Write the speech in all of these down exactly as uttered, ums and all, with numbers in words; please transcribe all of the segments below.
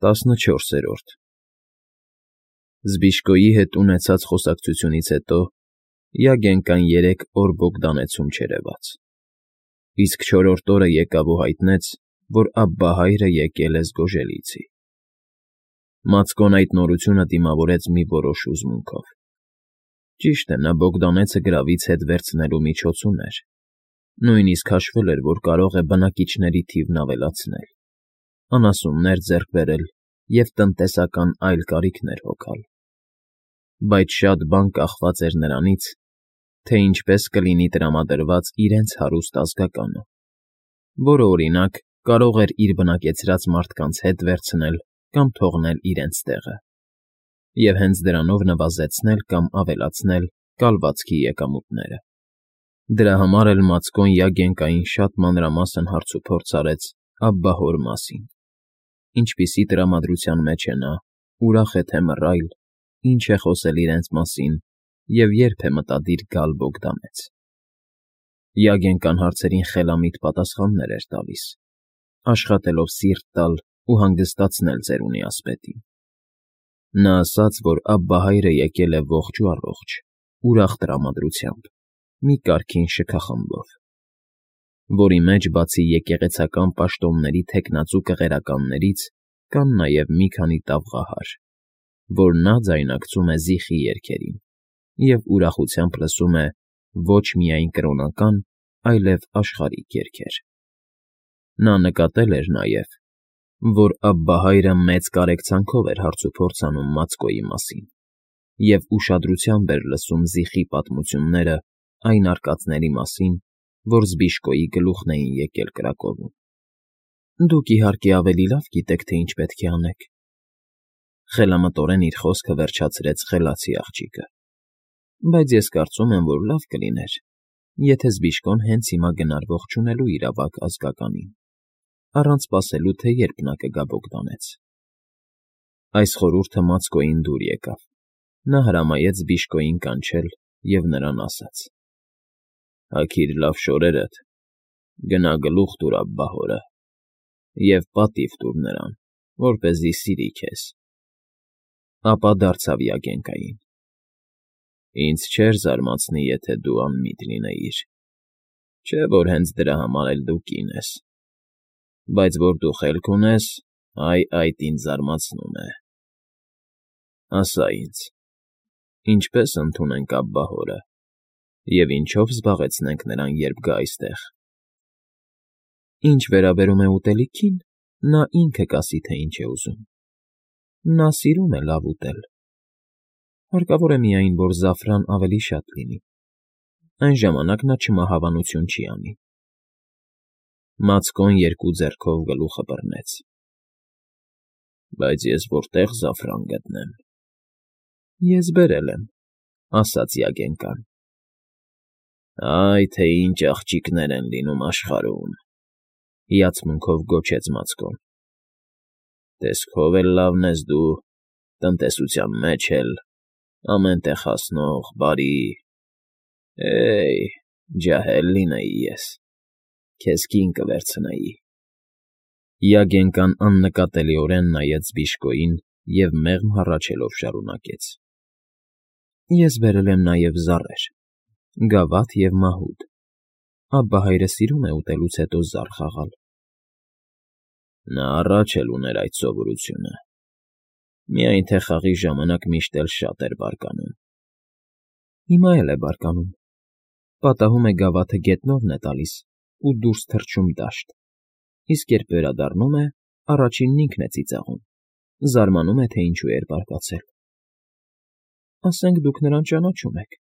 տասնչորսերորդ Զբիշկոյի հետ ունեցած խոսակցությունից հետո Յագենկան երեք օր Բոգդանեցում չերևաց, իսկ չորրորդ օրը եկավ ու հայտնեց, որ Աբբահայրը եկել է Զգոժելիցի։ Մացկոն այդ նորությունը դիմավորեց մի որոշ հուզմունքով։ Ճիշտ է, նա Բոգդանեցը գրավից հետ վերցնելու միջոց ուներ, նույնիսկ հաշվել էր, որ կարող է բնակիչների թիվն ավելացնել, անասուններ ձեռք բերել և տնտեսական այլ կարիքներ հոգալ։ Բայց շատ բան կախված էր նրանից, թե ինչպես կլինի տրամադրված իրենց հարուստ ազգականը, որը, օրինակ, կարող էր իր բնակեցրած մարդկանց հետ վերցնել կամ թողնել իրենց տեղը, և հենց դրանով նվազեցնել կամ ավելացնել կալվածքի եկամուտները։ Դրա համար էլ Մացկոն Յագենկային շատ մանրամասն հարցուփորձ արեց Աբբահոր մասին, ինչպիսի տրամադրության մեջ է նա, ուրախ է թե մռայլ, ինչ է խոսել իրենց մասին և երբ է մտադիր գալ Բոգդանեց։ Յագենկան հարցերին խելամիտ պատասխաններ էր տալիս, աշխատելով սիրտ տալ ու հանգստացնել ծերունի ասպետին։ Նա ասաց, որ Աբբահայրը եկել է ողջ ու առողջ, ուրախ տրամադրությամբ, մի կարգին շքախմբով, որի մեջ բացի եկեղեցական պաշտոնների թեկնածու կղերականներից կան նաև մի քանի տաղղահար, որ նա ձայնակցում է զիխի երգերին և ուրախությամբ լսում է ոչ միայն կրոնական, այլև աշխարհիկ երգեր։ Նա նկատել էր նաև, որ Աբբահայրը մեծ կարեկցանքով էր հարցուփորձ անում Մացկոյի մասին և ուշադրությամբ էր լսում զիխի պատմությունները այն արկածների մասին, որ Զբիշկոյի գլուխն էին եկել կրակովում։ Դուք, իհարկե, ավելի լավ գիտեք, թե ինչ պետք է անեք,֊ խելամտորեն իր խոսքը վերջացրեց խելացի աղջիկը,֊ բայց ես կարծում եմ, որ լավ կլիներ, եթե Զբիշկոն հենց հիմա գնար ողջունելու իր ավագ ազգականին, առանց սպասելու, թե երբ նա կգա Բոգդանեց։ Այս խորհուրդը Մացկոյին դուր եկավ։ Նա հրամայեց Զբիշկոյին կանչել և նրան ասաց. «Հագիր լավ շորերդ, գնա գլուխ տուր Աբբահորը և պատիվ տուր նրան, որպեսզի սիրի քեզ»։ Ապա դարձավ Յագենկային. «Ինձ չէր զարմացնի, եթե դու անմիտ լինեիր, չէ՞ որ հենց դրա համար էլ դու կին ես, բայց որ դու խելք ունես, այ այդ ինձ զարմացնում է։ Ասա ինձ, ինչպե՞ս ընդունենք Աբբահորը և ինչո՞վ զբաղեցնենք նրան, երբ գա այստեղ»։ Ինչ վերաբերում է ուտելիքին, նա ինքը կասի, թե ինչ է ուզում։ Նա սիրում է լավ ուտել, հարկավոր է միայն, որ զաֆրան ավելի շատ լինի, այն ժամանակ նա չմահավանություն չի անի։ Մացկոն երկու ձեռքով գլուխը բռնեց. «Բայց ես որտե՞ղ զաֆրան գտնեմ»։ «Ես բերել եմ,֊ ասաց Յագենկան։ «Այ թե ինչ աղջիկներ են լինում աշխարհում,֊ հիացմունքով գոչեց Մացկոն։ «Տեսքով էլ լավն ես դու, տնտեսության մեջ էլ, ամեն տեղ հասնող, բարի… Է՜յ, ջահել լինեի ես, քեզ կին կվերցնեի»։ Յագենկան աննկատելիորեն նայեց Զբիշկոյին և մեղմ հառաչելով շարունակեց. «Ես բերել եմ նաև զառեր, գավաթ և մահուդ. Աբբահայրը սիրում է ուտելուց հետո զառ խաղալ»։ Նա առաջ էլ ուներ այդ սովորությունը, միայն թե խաղի ժամանակ միշտ էլ շատ էր բարկանում։ Հիմա էլ է բարկանում, պատահում է գավաթը գետնովն է տալիս ու դուրս թռչում դաշտ, իսկ երբ վերադառնում է, առաջինն ինքն է ծիծաղում, զարմանում է, թե ինչու էր բարկացել։ Ասենք դուք նրան ճանաչում եք.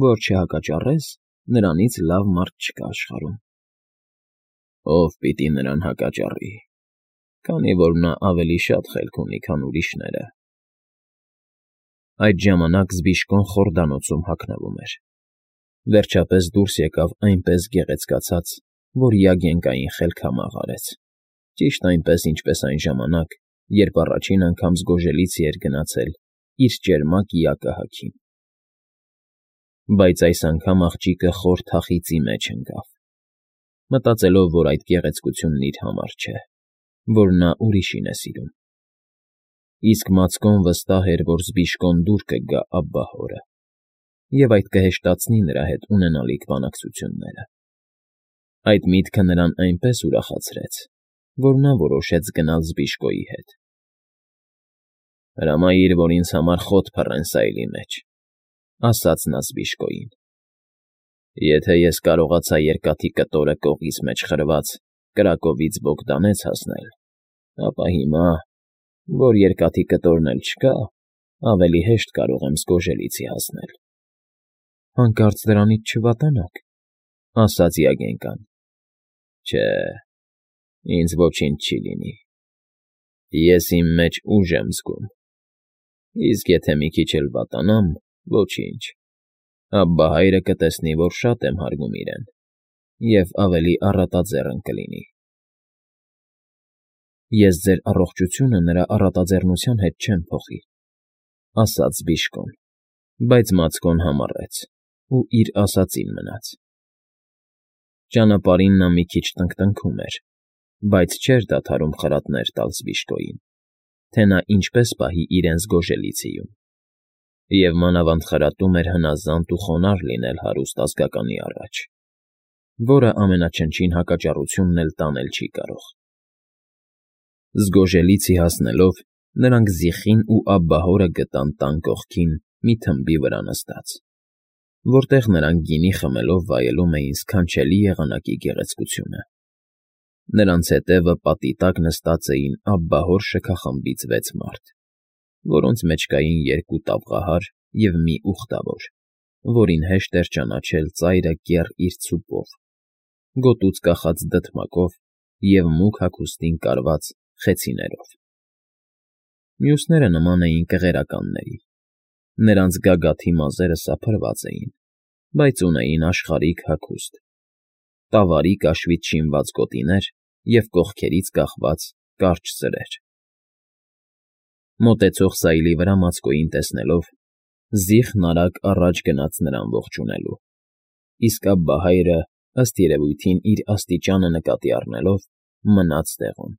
որ չհակաճառես, նրանից լավ մարդ չկա աշխարհում։ Ո՞վ պիտի նրան հակաճառի, քանի որ նա ավելի շատ խելք ունի, քան ուրիշները։ Այդ ժամանակ Զբիշկոն խորդանոցում հագնվում էր։ Վերջապես դուրս եկավ այնպես գեղեցկացած, որ Յագենկային խելքամաղ արեց, ճիշտ այնպես, ինչպես այն ժամանակ, երբ առաջին անգամ Զգոժելիցի էր գնացել իր ճերմակ իակը հագին։ Բայց այս անգամ աղջիկը խոր թախիծի մեջ ընկավ, մտածելով, որ այդ գեղեցկությունն իր համար չէ, որ նա ուրիշին է սիրում։ Իսկ Մացկոն վստահ էր, որ Զբիշկոն դուր կգա Աբբահորը, և այդ կհեշտացնի նրա հետ ունենալիք բանակցությունները։ Այդ միտքը նրան այնպես ուրախացրեց, որ նա որոշեց գնալ Զբիշկոյի հետ։ «Հրամայիր, որ ինձ համար խոտ փռեն սայլի մեջ,֊ ասաց նա Զբիշկոյին։ «Եթե ես կարողացա երկաթի կտորը կողից մեջ խրված կրակովից Բոգդանեց հասնել, ապա հիմա, որ երկաթի կտորն էլ չկա, ավելի հեշտ կարող եմ Զգոժելիցի հասնել»։ «Հանկարծ դրանից չվատանաք,֊ ասաց Յագենկան։ Չէ, ինձ ոչինչ չի լինի։ Ես իմ մեջ ուժ եմ զգում, իսկ եթե մի քիչ էլ վատանամ, ոչինչ, Աբբահայրը կտեսնի, որ շատ եմ հարգում իրեն, և ավելի առատաձեռն կլինի»։ «Ես ձեր առողջությունը նրա առատաձեռնության հետ չեմ փոխի,֊ ասաց Զբիշկոն, բայց Մացկոն համառեց ու իր ասածին մնաց։ Ճանապարհին նա մի քիչ տնկտնքում էր, բայց չէր դադարում խրատներ տալ Զբիշկոյին, թե նա ինչպես պահի իրեն Զգոժելիցիում, և մանավանդ խրատում էր հնազանդ ու խոնարհ լինել հարուստ ազգականի առաջ, որը ամենաչնչին հակաճառությունն էլ տանել չի կարող։ Զգոժելիցի հասնելով՝ նրանք Զիխին ու Աբբահորը գտան տան կողքին մի թմբի վրա նստած, որտեղ նրանք գինի խմելով վայելում էին սքանչելի եղանակի գեղեցկությունը։ Նրանց հետևը պատի տակ նստած էին Աբբահոր շքախմբից վեց մարդ, որոնց մեջ կային երկու տավղահար և մի ուխտավոր, որին հեշտ էր ճանաչել ծայրը կեռ իր ցուպով, գոտուց կախած դդմակով և մուգ հագուստին կարված խեցիներով։ Մյուսները նման էին կղերականների, նրանց գագաթի մազերը սափրված էին, բայց ունեին աշխարհիկ հագուստ, տավարի կաշվից շինված գոտիներ և կողքերից կախված կարճ ծրեր։ Մոտեցող սայլի վրա Մացկոյին տեսնելով՝ Զիխն արագ առաջ գնաց նրան ողջունելու, իսկ Աբբահայրը, ըստ երևույթին իր աստիճանը նկատի առնելով, մնաց տեղում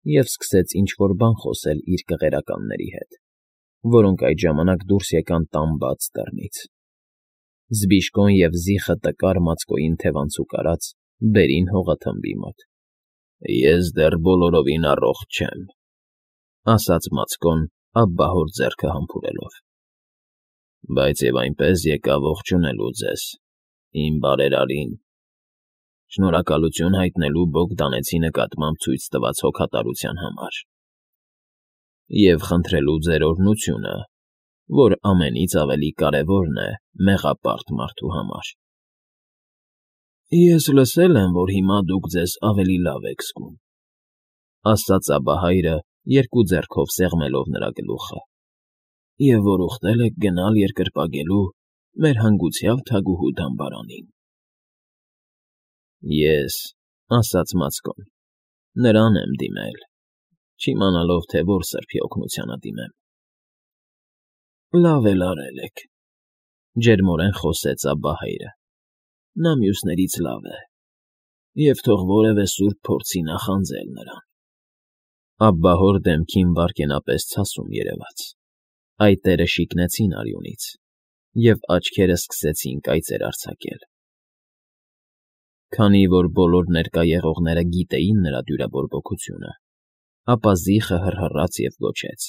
և սկսեց ինչ֊որ բան խոսել իր կղերականների հետ, որոնք այդ ժամանակ դուրս եկան տան բաց դռնից։ Զբիշկոն և Զիխը տկար Մացկոյին թևանցուկ արած բերին հողաթմբի մոտ։ «Ես դեռ բոլորովին առողջ չեմ,֊ ասաց Մացկոն Աբբահոր ձեռքը համբուրելով,֊ բայց և այնպես եկա ողջունելու ձեզ, իմ բարերարին, շնորհակալություն հայտնելու Բոգդանեցի նկատմամբ ցույց տված հոգատարության համար և խնդրելու ձեր օրհնությունը, որ ամենից ավելի կարևորն է մեղապարտ մարդու համար։ Ես լսել եմ, որ հիմա դուք ձեզ ավելի լավ եք զգում,֊ ասաց Աբբահայրը, երկու ձեռքով սեղմելով նրա գլուխը,֊ և որ ուխտել եք գնալ երկրպագելու մեր հանգուցյալ թագուհու դամբարանին։ Ես,֊ ասաց Մացկոն,֊ նրան եմ դիմել, չիմանալով, թե որ սրբի օգնությանը դիմեմ։ Լավ էլ արել եք,֊ ջերմորեն խոսեց Աբբահայրը, նա մյուսներից լավ է, և թող որևէ սուրբ փորձի նախանձել նրան։ Աբբահոր դեմքին վայրկենապես ցասում երևաց, այտերը շիկնեցին արյունից, և աչքերը սկսեցին կայծեր արձակել։ Քանի որ բոլոր ներկա եղողները գիտեին նրա դյուրաբորբոքությունը, ապա Զիխը հռհռաց և գոչեց.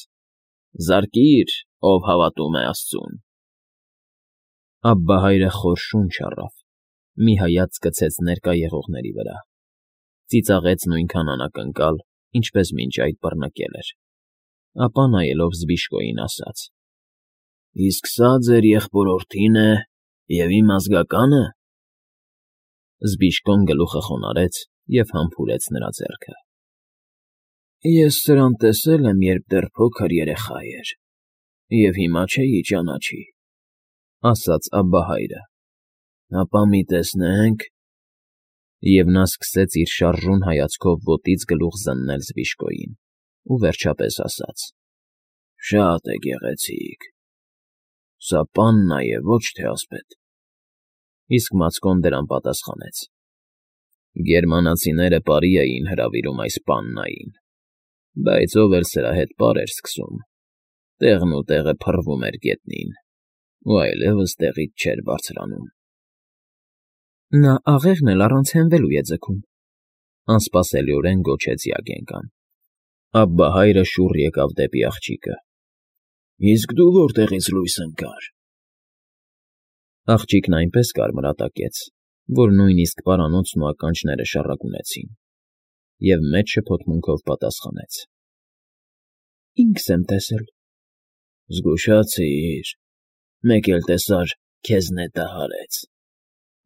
«Զարկի՛ր, ով հավատում է աստծուն»։ Աբբահայրը խոր շունչ առավ, մի հայացք գցեց ներկա եղողների վրա, ծիծաղեց նույնքան անակնկալ, ինչպես մինչ այդ բռնկել էր, ապա նայելով Զբիշկոյին ասաց. «Իսկ սա ձեր եղբորորդի՞ն է և իմ ազգակա՞ն»։ Զբիշկոն գլուխը խոնարհեց և համբուրեց նրա ձեռքը։ «Ես սրան տեսել եմ, երբ դեռ փոքր երեխա էր, և հիմա չէի ճանաչի,֊ ասաց Աբբահայրը,֊ ապա մի տեսնենք…» Եվ նա սկսեց իր շարժուն հայացքով ոտից գլուխ զննել Զբիշկոյին ու վերջապես ասաց. «Շատ է գեղեցիկ… Սա պաննա է, ոչ թե ասպետ»։ Իսկ Մացկոն դրան պատասխանեց. «Գերմանացիները պարի էին հրավիրում այս պաննային, բայց ով էլ սրա հետ պար էր սկսում, Տեղն ու տեղը փռվում էր գետնին ու այլևս տեղից չէր բարձրանում։ ֊ Նա աղեղն էլ առանց հենվելու է ձգում,֊ անսպասելիորեն գոչեց Յագենկան։ Աբբահայրը շուռ եկավ դեպի աղջիկը։ ֊ Իսկ դու որտեղից լույս ընկար… Աղջիկն այնպես կարմրատակեց, որ նույնիսկ պարանոցն ու ականջները շառագունեցին, և մեծ շփոթմունքով պատասխանեց. ֊ Ինքս եմ տեսել։ ֊ Զգուշացիր, մեկ էլ տեսար, քեզ նետը հարեց,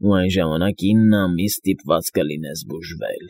ու այն ժամանակ ինը ամիս ստիպված կլինես բուժվել։